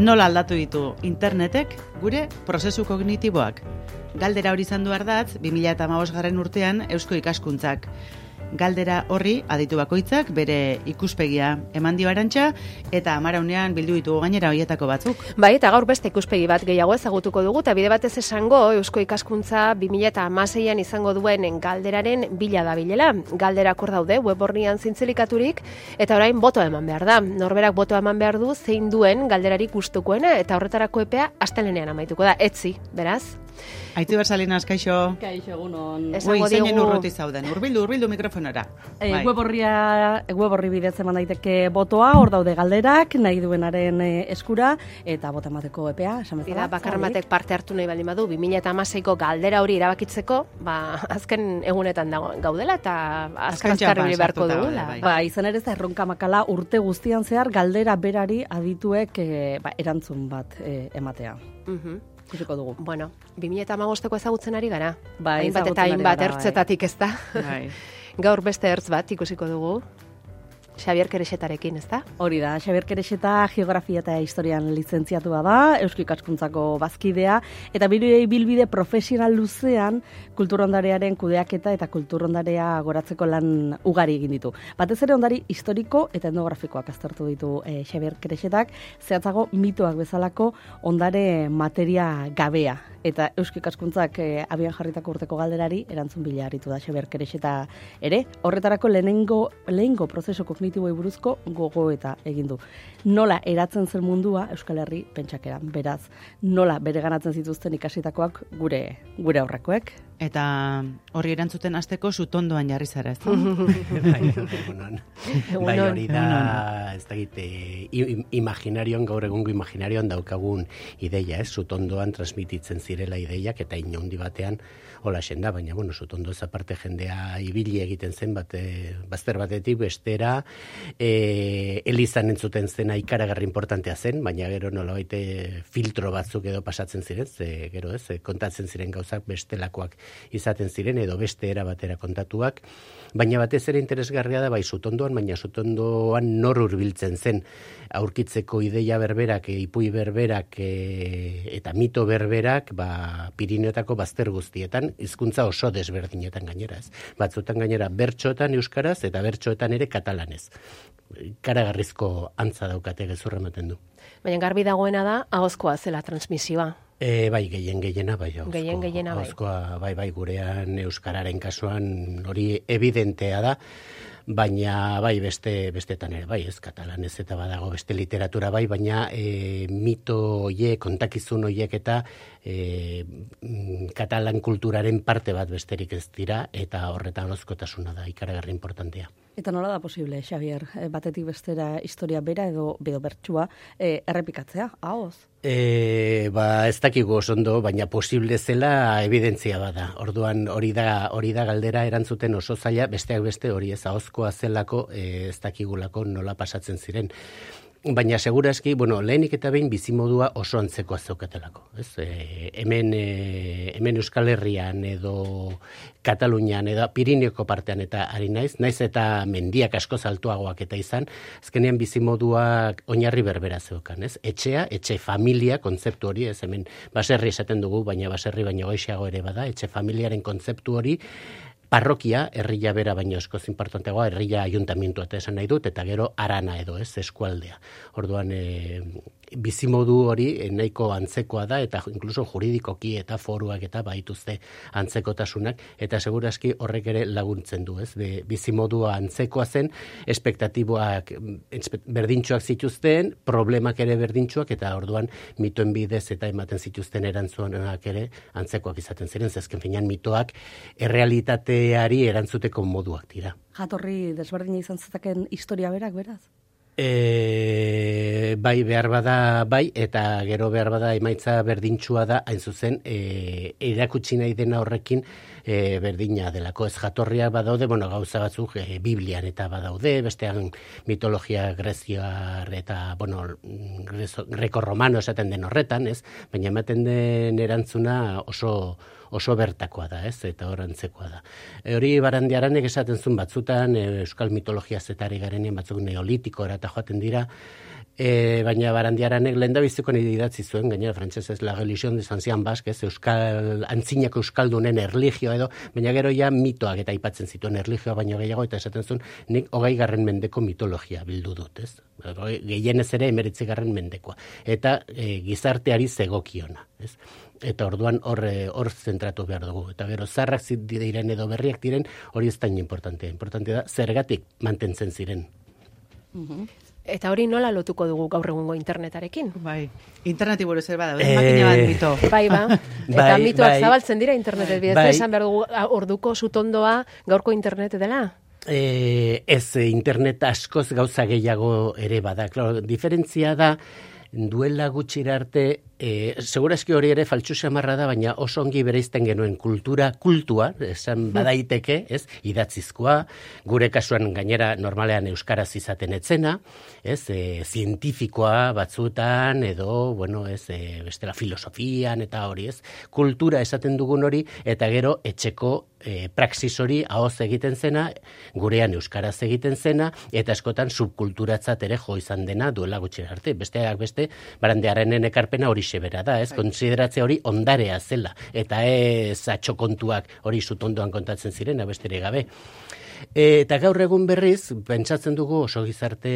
Nola aldatu ditu internetek gure prozesu kognitiboak? Galdera hori izan du ardatz 2015 urtean Eusko Ikaskuntzak. Galdera horri aditu bakoitzak bere ikuspegia eman dio Arantxa eta amaraunean bildu ditugu gainera hoietako batzuk. Bai, eta gaur beste ikuspegi bat gehiago ezagutuko dugu, eta bide batez esango Eusko Ikaskuntza 2016an izango duen galderaren bila dabilela. Galderak hor daude web orrian zintzilikaturik, eta orain botoa eman behar da. Norberak botoa eman behar du zein duen galderari gustukoena, eta horretarako epea astelehenean amaituko da. Etzi, beraz. Aitzi Bersalinas, kaixo. Kaixo, egunon. Zeinen urruti zauden. Urbildu mikrofonora. Web orri bidez eman daiteke botoa, hor daude galderak, nahi duenaren eskura, eta bota emateko epea, esan bezala. Bakarren batek parte hartu nahi baldin badu, 2016ko galdera hori erabakitzeko, azken egunetan gaudela, eta azken azkarri beharko dugula. Izan ere ez da erronka makala urte guztian zehar galdera berari adituek erantzun bat ematea. Ikusiko dugu. Bueno, 2015ko ezagutzen ari gara. Hainbat eta hainbat ertzetatik ez da. Gaur beste ertz bat ikusiko dugu. Xabier Kerexetarekin, ez da? Hori da, Xabier Kerexeta geografia eta historian lizentziatua da, Eusko Ikaskuntzako bazkidea, eta bilbide profesional luzean kulturrondarearen kudeaketa eta kulturrondarea goratzeko lan ugari egin ditu. Batez ere ondari historiko eta etnografikoak aztertu ditu Xabier Kerexetak, zehatzago mitoak bezalako ondare materia gabea. Eta Eusko Ikaskuntzak abian jarritako urteko galderari erantzun bila aritu da Xabier Kerexeta ere. Horretarako lehengo prozesu kognitiboei buruzko gogoeta egin du. Nola eratzen zen mundua Euskal Herri pentsakeran. Beraz, nola bereganatzen zituzten ikasitakoak gure aurrekoek. Eta horri erantzuten hasteko sutondoan jarri zara, ez da? Bai, hori da, ez da imaginarioan, gaur egungo imaginarioan daukagun ideia, ez? Sutondoan transmititzen zirela ideiak, eta inaundi batean hola da, baina, sutondo ez aparte jendea ibili egiten zen, bazter batetik bestera, elizan entzuten zena ikaragarri importantea zen, baina gero nolabait filtro batzuk edo pasatzen ziren, gero ez, kontatzen ziren gauzak bestelakoak izaten ziren, edo beste era batera kontatuak, baina batez ere interesgarria da, bai sutondoan, baina sutondoan nor hurbiltzen zen, aurkitzeko ideia berberak, ipui berberak, eta mito berberak, Pirineotako bazter guztietan, hizkuntza oso desberdinetan gainera, ez. Batzutan gainera bertsoetan euskaraz, eta bertsoetan ere katalanez. Karagarrizko antza daukate gezurra ematen du. Baina garbi dagoena da, ahozkoa zela transmisioa. Bai, gehiena, bai. Gehiena, bai. Ahozkoa, bai, gurean euskararen kasuan hori evidentea da, baina bai bestetan ere, bai, ez katalanez eta badago beste literatura bai, baina mito hoiek, kontakizun hoiek eta katalan kulturaren parte bat besterik ez dira, eta horretan ahozkotasuna da ikaragarri importantea. Eta nola da posible, Xabier, batetik bestera historia bera edo bertsua errepikatzea, ahoz? Ez dakigu oso ondo, baina posible zela evidentzia bada. Orduan hori da galdera erantzuten oso zaila, besteak beste hori ez ahozkoa zelako, ez dakigulako nola pasatzen ziren. Baina segurazki, lehenik eta behin bizimodua oso antzekoa zeukatelako. Hemen Euskal Herrian edo Katalunian edo Pirineoko partean eta ari naiz eta mendiak asko altuagoak eta izan, azkenean bizimoduak oinarri berbera zeukan, ez? Etxe familia kontzeptu hori, ez hemen baserri esaten dugu, baina baserri baino goixeago ere bada, etxe familiaren kontzeptu hori, parrokia, herria bera baino eskoz importanteagoa, herria ayuntamientua eta esan nahi dut, eta gero arana edo, ez, eskualdea. Orduan, bizimodu hori nahiko antzekoa da, eta inkluso juridikoki eta foruak eta baituzte antzekotasunak, eta segurazki horrek ere laguntzen du, ez? Bizimodua antzekoa zen, espektatiboak berdintxoak zituzten, problemak ere berdintxoak, eta orduan mitoen bidez eta ematen zituzten erantzunak ere antzekoak izaten ziren, zezken finean mitoak errealitateari erantzuteko moduak dira. Jatorri desberdina izan zetaken historia berak, beraz? Bai, behar bada, bai, eta gero behar bada emaitza berdintxua da, hain zuzen, erakutsi nahi dena horrekin berdina delako. Ez jatorriak badaude, gauza batzuk Biblian eta badaude, bestean mitologia greziar eta, greko-romano esaten den horretan, ez? Baina ematen den erantzuna oso oso bertakoa da, ez? Eta horrantzekoa da. Hori Barandiaranek esaten zuen batzutan, euskal mitologia zetari garenean batzuk neolitikora eta joaten dira, baina Barandiaranek lehendabiziko nire idatzi zuen, gainera frantsesez la religión des anciens basques, euskal, antzinako euskaldunen erlijioa edo, baina gero ja mitoak eta aipatzen zituen erlijioa baino gehiago, eta esaten zuen, nik 20. mendeko mitologia bildu dut, ez? Gehienez ere 19. mendekoa. Eta gizarteari zegokiona, ez? Eta orduan hor zentratu behar dugu. Eta gero zarrak diren edo berriak diren, hori ez da importantea. Importantea da, zergatik mantentzen ziren. Eta hori nola lotuko dugu gaur egungo internetarekin? Bai, interneti buruz zer bada, makina bat mito. Bai, eta mitoak zabaltzen dira internetet bidez, esan behar dugu orduko sutondoa gaurko internet dela? Ez, internet askoz gauza gehiago ere bada. Claro, diferentzia da, duela gutxira arte, segurazki hori ere faltsu xamarra da, baina oso ongi bereizten genuen kultua, esan badaiteke, ez, idatzizkoa, gure kasuan gainera normalean euskaraz izaten etzena, ez, zientifikoa batzutan, edo, bueno, ez, bestela filosofian eta hori, ez, kultura esaten dugun hori, eta gero etxeko praxis hori ahoz egiten zena, gurean euskaraz egiten zena, eta askotan subkulturatzat ere jo izan dena duela gutxira arte. Besteak beste, Barandiarenen ekarpena hori bera da, ez? Konsideratze hori ondarea zela, eta ez atxokontuak hori sutondoan kontatzen ziren, abestere gabe. Eta gaur egun berriz, pentsatzen dugu oso gizarte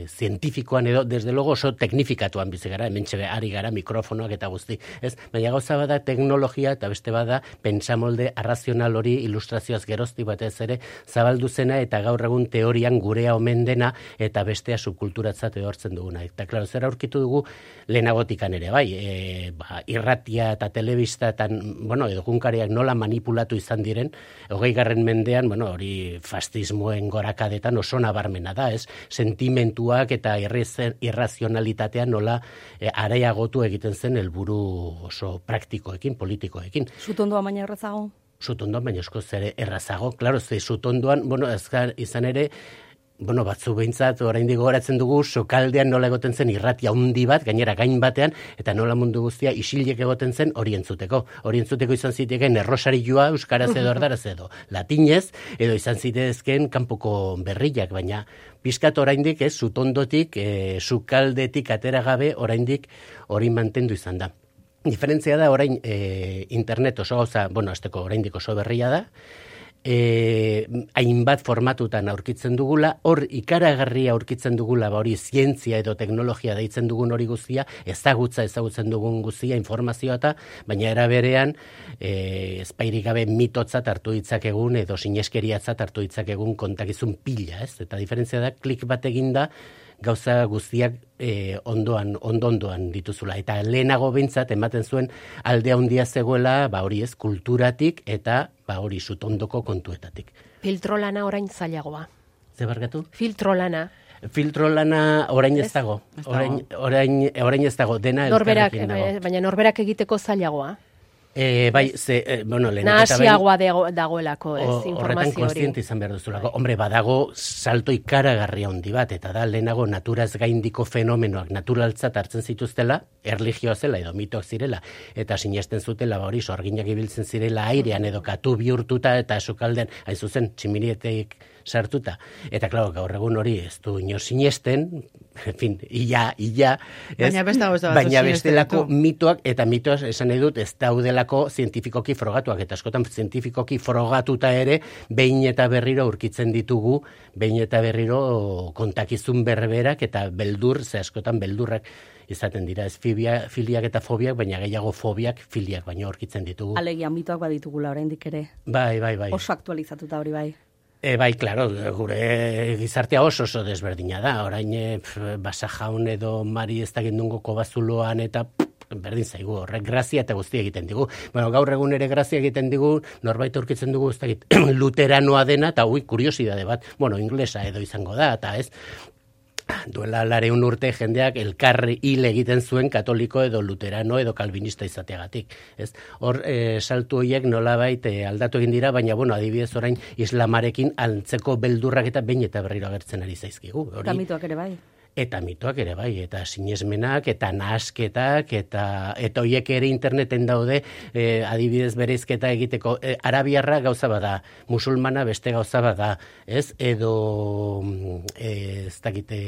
zientifikoan edo, desde logo oso teknifikatuan bizi gara, hementxe ari gara mikrofonoak eta guzti, ez? Baina gauza bada teknologia eta beste bada pentsamolde arrazional hori ilustrazioaz gerozti batez ere zabaldu zena eta gaur egun teorian gurea omen dena eta bestea subkulturatzat ehortzen duguna. Eta klaro, zer aurkitu dugu lehenagotikan ere, bai, irratia eta telebista eta, bueno, egunkariak nola manipulatu izan diren, 20. mendean, bueno, hori fascismoen gorakadetan oso nabarmena da, ez? Sentimentuak eta irrazionalitatea nola areagotu egiten zen helburu oso praktikoekin, politikoekin. Sutondoa baina errazago? Sutondoan baina eskoz ere errazago, klaro, ze sutondoan, bueno, izan ere, bueno, batzu behintzat, oraindik gogoratzen dugu, sokaldean nola egoten zen irratia handi bat, gainera gain batean, eta nola mundu guztia isilek egoten zen hori entzuteko. Hori entzuteko izan ziteken errosarioa, euskaraz edo erdaraz edo latinez, edo izan zitezken kanpoko berriak, baina pizkat oraindik ez, sutondotik, sukaldetik atera gabe, oraindik hori mantendu izan da. Diferentzia da, orain internet oso gauza, bueno, azteko oraindik oso berria da, hainbat formatutan aurkitzen dugula, hor ikaragarria aurkitzen dugula, hori zientzia edo teknologia deitzen dugun hori guztia, ezagutzen dugun guztia, informazioa eta, baina era berean, ezpairik gabe mitotzat hartu ditzakegun edo sineskeriatzat hartu ditzakegun kontakizun pila, ez? Eta diferentzia da, klik bat eginda, gauza guztiak ondoan dituzula. Eta lehenago behintzat ematen zuen alde handia zegoela, hori ez, kulturatik eta hori sutondoko kontuetatik. Filtrolana orain zailagoa. Ze barkatu? Filtrolana orain ez dago. Orain ez dago, dena elkarrekin dago. Baina norberak egiteko zailagoa. Bai, bueno, nahasiagoa dagoelako, ez, informazio hori. Horretan konstiente izan behar duzulako. Hombre, badago salto ikaragarria handi bat, eta da lehenago naturaz gaindiko fenomenoak naturaltzat hartzen zituztela, erlijioa zela edo mitoak zirela, eta sinesten zutela, hori, sorginak ibiltzen zirela airean edo katu bihurtuta eta sukaldean, hain zuzen, tximinietek sartuta. Eta, klaro, gaur egun hori ez du inor sinesten, en fin, ia, ez? Baina bestelako mitoak, eta mitoak esan nahi dut, ez daudelako zientifikoki frogatuak, eta askotan zientifikoki frogatuta ere, behin eta berriro aurkitzen ditugu, behin eta berriro kontakizun berberak, eta beldur, ze askotan beldurrak izaten dira, ez filiak eta fobiak, baina gehiago fobiak, filiak, baina aurkitzen ditugu. Alegia mitoak baditugula oraindik ere. Bai. Oso aktualizatuta hori bai. Bai, klaro, gure gizartea oso desberdina da. Orain Basa Jaun edo Mari ez dakit nungo kobazuloan eta berdin zaigu, horrek grazia eta guztia egiten digu. Bueno, gaur egun ere grazia egiten digu, norbait aurkitzen dugu ez dakit luteranoa dena, eta kuriosidade bat, bueno, inglesa edo izango da, eta ez, duela 200 urte jendeak elkarri hil egiten zuen katoliko edo luterano edo kalvinista izateagatik. Ez? Hor, saltu horiek nolabait aldatu egin dira, baina, bueno, adibidez orain islamarekin antzeko beldurrak eta behin eta berriro agertzen ari zaizkigu. Eta mitoak ere bai. Eta mitoak ere bai, eta sinesmenak, eta nahasketak, eta hoiek ere interneten daude, adibidez bereizketa egiteko, arabiarra gauza bada, musulmana beste gauza bada, ez? Edo, ez dakite,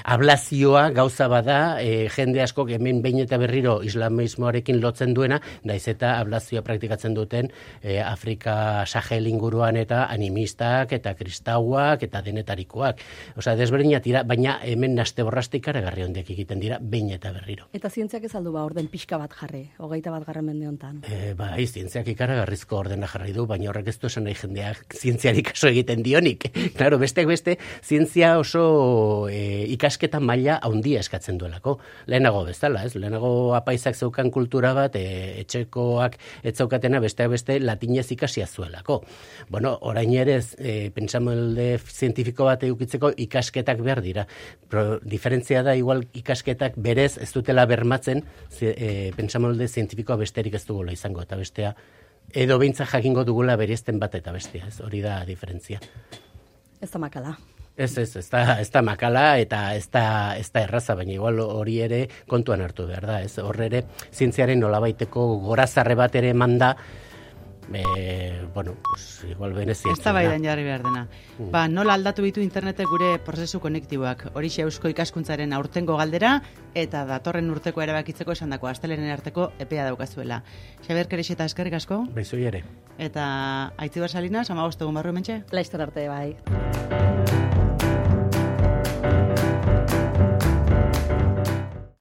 ablazioa gauza bada, jende asko hemen behin eta berriro islamismoarekin lotzen duena, naiz eta ablazioa praktikatzen duten Afrika Sahel inguruan eta animistak, eta kristauak, eta denetarikoak. Osea, desberdinak dira, baina hemen naste borraste ikaragarri hondiak egiten dira behin eta berriro. Eta zientziak ez aldu orden pixka bat jarri, 21. mende hontan. Bai, zientziak ikaragarrizko ordena jarri du, baina horrek ez du esan nahi jendeak zientziari kaso egiten dionik. Claro, besteak beste, zientzia oso ikasketa maila handia eskatzen duelako. Lehenago bezala, ez? Lehenago apaizak zeukan kultura bat, etxekoak ez zeukatena besteak beste latinez ikasia zuelako. Bueno, orain ere pentsamolde zientifiko bat edukitzeko ikasketak behar dira. Diferentzia da, igual ikasketak berez ez dutela bermatzen pentsamolde zientifikoa besterik ez dugula izango, eta bestea, edo behintzat jakingo dugula bereizten bat eta bestea, ez hori da diferentzia. Ez da makala. Ez da makala eta ez da erraza, baina igual hori ere kontuan hartu behar da, ez hor ere zientziaren nolabaiteko gorazarre bat ere manda, bueno, pues igual benezia. Ez da baidan jarri behar dena. Nola aldatu bitu internetek gure prozesu konektiboak, horixe eusko ikaskuntzaren aurtengo galdera, eta datorren urteko erabakitzeko esandako astelenen arteko epea daukazuela. Xabier Kerexeta, eskerrik asko. Beizoi ere. Eta Aitziber Salinas, 15 egun barru hementxe? Laizter arte, bai.